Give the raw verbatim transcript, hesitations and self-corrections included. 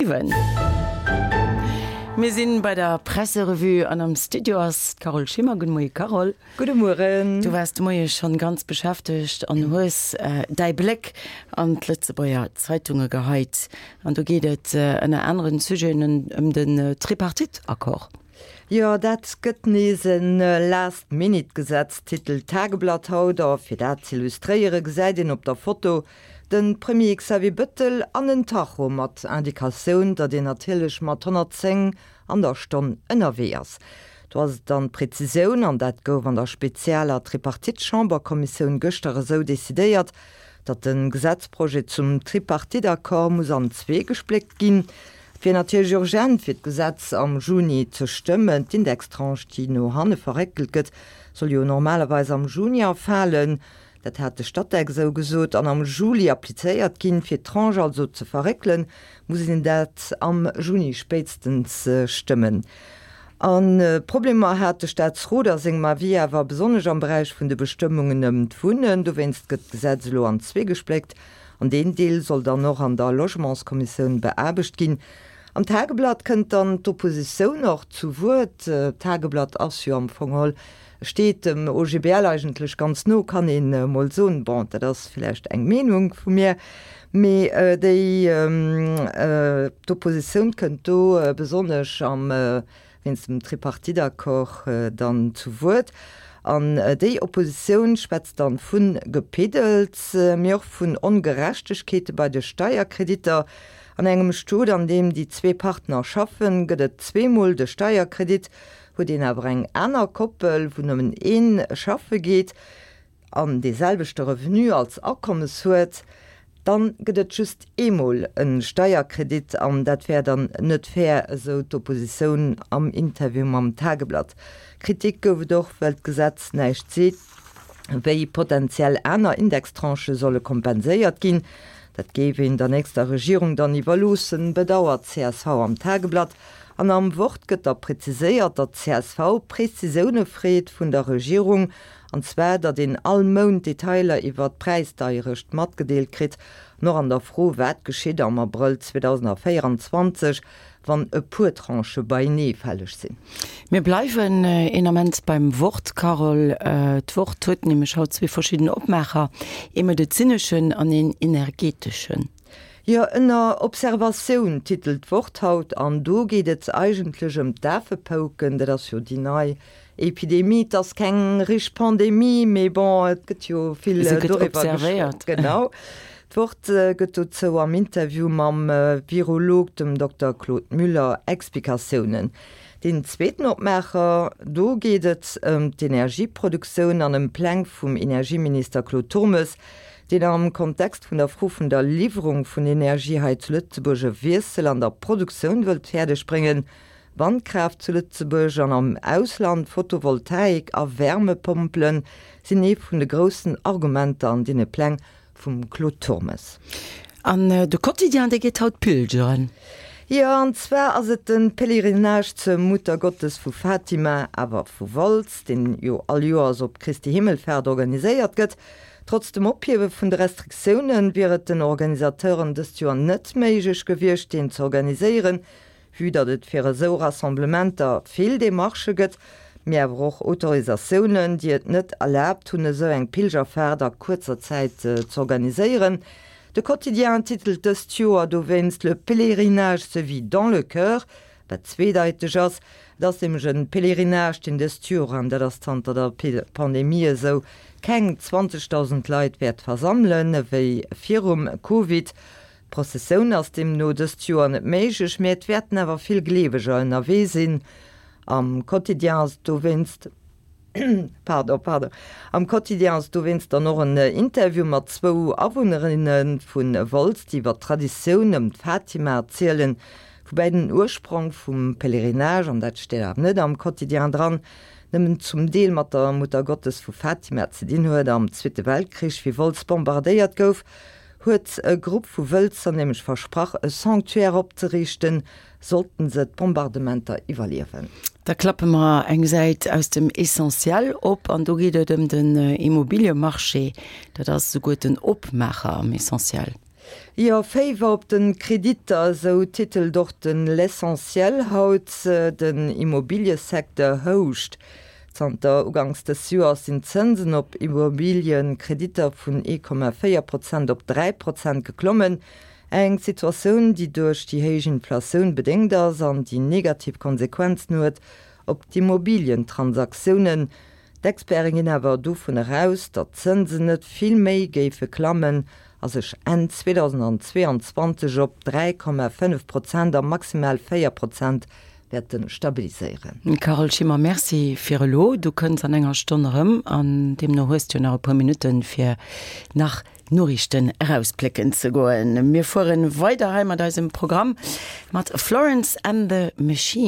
siwen. Mir sinn bei der Presserevue an am Studio ass d'Carole Schimmer. Gudde Moie Carole. Gudde Mueren. Du waars de Moie schonn ganz beschäftegt an hues däi Bléck an d'Lëtzebuerger Zeitunge geheit. An do geet et ënner aneren Sujeten ëm den Tripartite-Accord. Jo, dat gëtt nees en Last-Minute-Gesetz, titelt d'Tageblatt haut. A fir dat z'illustréiere gesäit een op der Foto de Premier Xavier Bëttel an en Tacho mat Indikatioun, datt een natierlech mat honnertzéng an der Stonn ënnerwee ass. Do ass et dann d'Prezisioun, an dat gouf an der spezialer Tripartite-Chamberkommissioun gëschter esou decidéiert, datt de Gesetzprojet zum Tripartite-Accord muss an zwee gespléckt ginn. Et wier natierlech urgent, fir d'Gesetz am Juni ze stëmmen. D'Indextranche, déi no hanne verréckelt gëtt, soll jo normalerweis am Juni erfalen. Dat hat de Statec esou gesot, an am Juli applizéiert ginn. Fir d'Tranche also ze verréckelen, muss een dat am Juni spéitstens stëmmen. A Problemer hat de Staatsrot a sengem Avis awer besonnesch am Beräich vun de Bestëmmungen ëm d'Wunnen. Dowéinst gëtt d'Gesetz elo an zwee gespléckt an deen Deel soll dann och an der Logementskommissioun beaarbecht ginn. Am Tageblatt kënnt dann d'Oppositioun och zu Wuert. D'Tageblatt ass jo am Fong geholl Steet dem O G B L eigentlech ganz no, kann een emol soen. Bon, dat ass villäicht eng Meenung vu mir, mee déi d'Oppositioun kënnt do besonnesch am wéinst dem Tripartite-Accord dann zu Wuert. An déi Oppositioun schwätzt dann vu Gepiddels, mee och vun Ongerechtegkeete bei de Steierkreditter. An engem Stot, an deem déi zwee Partner schaffen, gëtt et zweemol de Steierkredit. Huet een awer eng aner Koppel, wou nëmmen een schaffe geet an dee selwechte Revenu als Akommes huet, dann gëtt et just eemol e Steierkredit an dat wär dann net fair, esou d'Oppositioun am Interview mam Tageblatt. Kritik gouf et och, well d'Gesetz näischt seet, wéi potentiell aner Indextranchë solle kompenséiert ginn. Dat géif een der nächster Regierung dann iwwerloossen, bedauert d'C S V am Tageblatt. An am Wort gëtt da präziséiert, datt d'C S V Prezisioune freet vun der Regierung, an zwar datt een all Mount Detailer iwwer d'Präisdeierecht matgedeelt kritt, an och an der Fro, wat geschitt am Abrëll zweedausendvéierenzwanzeg, wann e puer Tranchë beienee fälleg sinn. Mir bleiwen een Ament beim Wort, Carole. D'Wort huet nämlech haut zwee verschidden Opmaacher, ee medezineschen an een energeteschen. Jo, Ënner Observatioun titelt d'Wort haut, an do geet et eigentlech ëm d'Afepouken. Dat ass jo déi nei Epidemie. Et ass keng richteg Pandemie, mee bon, et gëtt jo vill Se gëtt doriwwer geschwat. Observéiert. Genau. D'Wort gëtt dozou am Interview mam Virolog, dem Dokter Claude Müller, Explikatiounen. Deen zweeten Opmaacher, do geet et ëm d'Energieproduktioun an ëm Pläng vum Energieminister Claude Turmes, deen am Kontext vun der Fro vun der Liwwerung vun Energie hei zu Lëtzebuerg e Wiessel an der Produktioun wëllt fäerdeg bréngen. Wandkraaft zu Lëtzebuerg an am Ausland, Photovoltaik a Wärmepompele sinn ee vun de groussen Argumenter an deene Pläng vum Claude Turmes. An de Quotidien, dee geet haut pilgeren. Jo, an zwar ass et de Pèlerinage zur Muttergottes vu Fatima, awer vu Wolz, deen jo all Joers op Christi Himmelfaart organiséiert gëtt. Trotz dem Ophiewe vun de Restriktioune wier et den Organisateuren dëst Joer net méiglech gewiescht, deen ze organiséieren, vue datt et fir esou Rassemblementer vill Demarchë gëtt, mee awer och Autorisatiounen, déi et net erlaabt hunn, esou eng Pilgerfaart a kuerzer Zäit z'organiséieren. De Quotidien titelt dëst Joer dowéinst Le pèlerinage se vit dans le cœur, wat zweedeiteg ass. Et ass nämlech e Pèlerinage, deen dëst Joer, an dat ass zanter der Pandemie esou, keng zwanzegdausend Leit wäert versammelen, ewéi virum Covid. D'Prozessioun ass deemno dëst Joer net méiglech, mee et wäerten awer vill Gleeweger ënnerwee sinn. Am Quotidien ass dowéinst, pardon, pardon, am Quotidien ass dowéinst dann och en Interview mat zwou Awunnerinne vu Wolz, déi iwwer d'Traditioun ëm d'Fatima erzielen, woubäi den Ursprong vum Pèlerinage, an dat steet awer net am Quotidien dran, nëmmen zum Deel mat der Muttergottes vu Fatima ze dinn huet. Am Zweete Weltkrich, wéi Wolz bombardéiert gouf, huet e Grupp vu Wëlzer nämlech versprach, e Sanctuaire opzeriichten, sollten se d'Bombardementer iwwerliewen. Da klappe mer eng Säit aus dem Essentiel op an do geet et ëm den Immobiliemarché. Dat ass souguer den Opmaacher am Essentiel. Jo, Féiwer op de Kreditter, esou titelt och den L'Essentiel haut. Den Immobiliësecteur houscht. Zanter uganks des Joers sinn d'Zënsen op Immobiliëkreditter vun ee Komma véier Prozent op dräi Prozent geklommen. Eng Situatioun, déi duerch déi héich Inflatioun bedéngt ass an déi negativ Konsequenzen huet op d'Immobilientransaktiounen. D'Experte ginn awer dovun eraus, datt d'Zënsen net vill méi géife klammen a sech Enn zweedausendzweeanzwanzeg op dräi Komma fënnef Prozent a maximal véier Prozent wäerte stabiliséieren. Carole Schimmer, Merci fir elo. Du kënns an enger Stonn erëm an deemno hues du jo nach e puer Minutten, fir nach Noriichten erausplécken ze goen. Mir fueren weider hei mat eisem Programm mat Florence and the Machine.